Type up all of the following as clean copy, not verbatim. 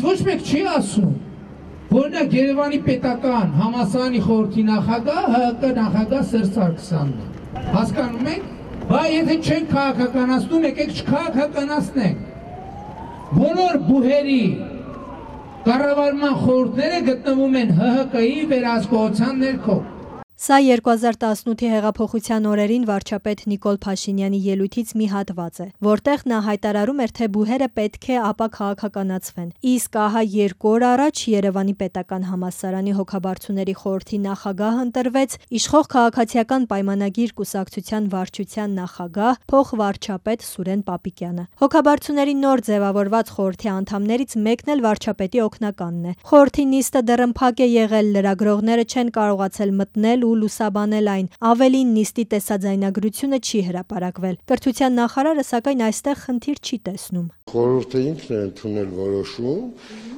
Ոչ մեկ չի ասում, օրինակ Երևանի պետական համալսարանի խորհրդի նախագահ ՀՀԿ նախագահ Սերժ Սարգսյանն է։ Հասկանում եք, բայց եթե չենք քաղաքականացնում, եկեք չքաղաքականացնենք։ Բոլոր բուհերի կառավարման խորհուրդները գտնվում են ՀՀԿ-ի վերահսկողության ներքո։ Սա 2018-ի հեղափոխության օրերին վարչապետ Նիկոլ Փաշինյանի ելույթից մի հատված է, որտեղ նա հայտարարում էր, թե բուհերը պետք է ապա քաղաքականացվեն։ Իսկ ահա 2 օր առաջ Երևանի պետական համալսարանի հոգաբարձուների խորհրդի նախագահ ընտրվեց իշխող քաղաքացիական պայմանագիր կուսակցության վարչության նախագահ, փոխվարչապետ Սուրեն Պապիկյանը։ Հոգաբարձուների նոր ձևավորված խորհրդի անդամներից մեկն էլ վարչապետի օգնականն է։ Խորհրդի նիստը դեռ է եղել, լրագրողները չեն կարողացել մտնել ու լուսաբանել այն, ավելին նիստի տեսաձայնագրությունը չի հրապարակվել։ Կրթության նախարարը սակայն այստեղ խնդիր չի տեսնում։ Խորհուրդը ինքն է ընդունել որոշում,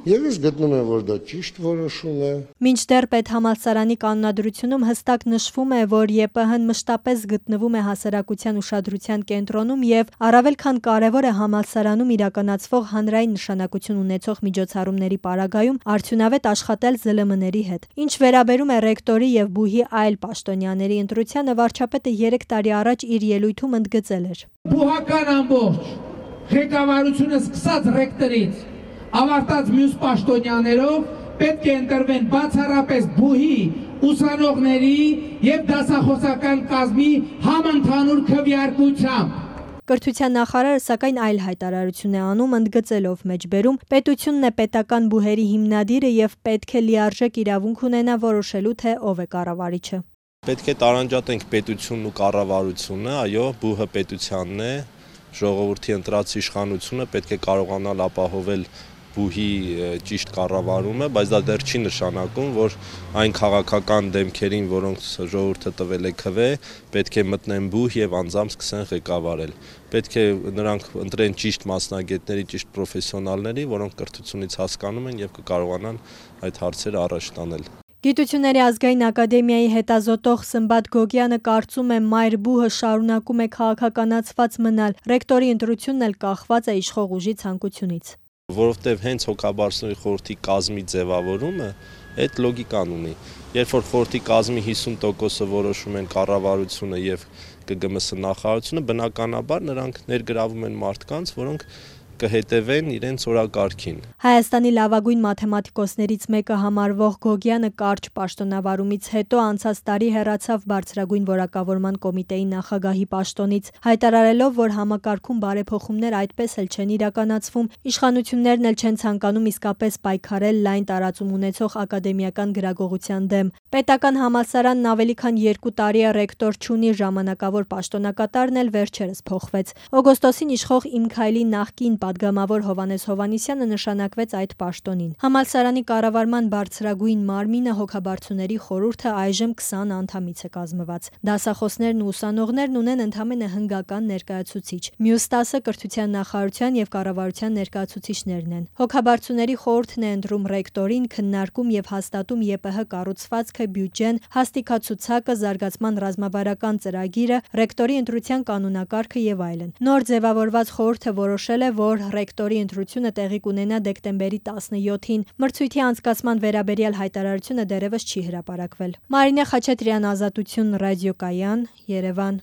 եւ ես գտնում եմ, որ դա ճիշտ որոշում է։ Մինչդեռ պետհամալսարանի կանոնադրությունում հստակ նշվում է, որ ԵՊՀ-ն մշտապես գտնվում է հասարակության ուշադրության կենտրոնում եւ առավել քան կարեւոր է համալսարանում իրականացվող հանրային նշանակություն ունեցող միջոցառումների պարագայում արդյունավետ աշխատել ԶԼՄ-ների հետ։ Ինչ վերաբերում է ռեկտորի եւ բուհի այլ պաշտոնյաների ընտրությանը, վարչապետը 3 տարի առաջ իր ելույթում ընդգծել էր. Բուհական ամբողջ ղեկավարությունը սկսած ռեկտորից ավարտած մյուս պաշտոնյաներով պետք է ընտրվեն բացառապես բուհի, ուսանողների եւ դասախոսական կազմի համընդհանուր քվեարկությամբ։ Կրթության նախարարը սակայն այլ հայտարարություն է անում, ընդգծելով մեջբերում պետությունն է պետական բուհերի հիմնադիրը եւ պետք է լիարժեք իրավունք ունենա որոշելու, թե ով է կառավարիչը։ Պետք է տարանջատենք պետությունն ու կառավարությունը, այո, բուհը պետությանն է, ժողովրդի ընտրած իշխանությունը պետք է կարողանալ ապահովել բուհի ճիշտ կառավարումը, բայց դա դեռ չի նշանակում, որ այն քաղաքական դեմքերին, որոնց ժողովուրդը տվել է քվե, պետք է մտնեն բուհ եւ անձամբ սկսեն ղեկավարել։ Պետք է նրանք ընտրեն ճիշտ մասնագետների, ճիշտ պրոֆեսիոնալների, որոնք կրթությունից հասկանում են եւ կկարողանան այդ հարցերը առաջ տանել։ Գիտությունների ազգային ակադեմիայի հետազոտող Սմբատ Գոգյանը կարծում է, մայր բուհը շարունակում է քաղաքականացված մնալ, ռեկտորի ընտրությունն էլ կախված է իշխող ուժի ցանկությունից։ Որովհետև հենց հոգաբարձուների խորհրդի կազմի ձևավորումը այդ լոգիկան ունի։ Երբ որ խորհրդի կազմի 50%-ը որոշում են կառավարությունը եւ ԿԳՄՍ նախարարությունը, բնականաբար նրանք ներգրավում են մարդկանց, որոնք կհետևեն իրենց օրակարգին։ Հայաստանի լավագույն մաթեմատիկոսներից մեկը համարվող Գոգյանը կարճ պաշտոնավարումից հետո անցած տարի հեռացավ բարձրագույն որակավորման կոմիտեի նախագահի պաշտոնից, հայտարարելով, որ համակարգում բարեփոխումներ այդպես էլ չեն իրականացվում, իշխանություններն էլ չեն ցանկանում իսկապես պայքարել լայն տարածում ունեցող ակադեմիական գրագողության դեմ։ Պետական համալսարանն ավելի քան 2 տարի է ռեկտոր չունի, ժամանակավոր պաշտոնակատարն էլ վերջերս փոխվեց։ Օգոստոսին իշխող Իմ Քայլի նախկին պատգամավոր Հովհաննես Հովհաննիսյանը նշանակվեց այդ պաշտոնին։ Համալսարանի կառավարման բարձրագույն մարմինը հոգաբարձուների խորհուրդը այժմ 20 անդամից է կազմված։ Դասախոսներն ու ուսանողներն ունեն ընդամենը հնգական ներկայացուցիչ։ Մյուս 10-ը կրթության նախարարության եւ կառավարության ներկայացուցիչներն են։ Հոգաբարձուների խորհուրդն է ընտրում ռեկտորին, քննարկում եւ հաստատում ԵՊՀ կառուցվածքը, բյուջեն, հաստիկացուցակը, զարգացման ռազմավարական ծրագիրը, ռեկտորի ընտրության կանոնակարգը եւ այլն։ Նոր ձևավորված խորհուրդը որոշել է, որ ռեկտորի ընտրությունը տեղի կունենա դեկտեմբերի 17-ին։ Մրցույթի անցկացման վերաբերյալ հայտարարությունը դեռևս չի հրապարակվել։ Մարինե Խաչատրյան, Ազատություն ռադիոկայան, Երևան։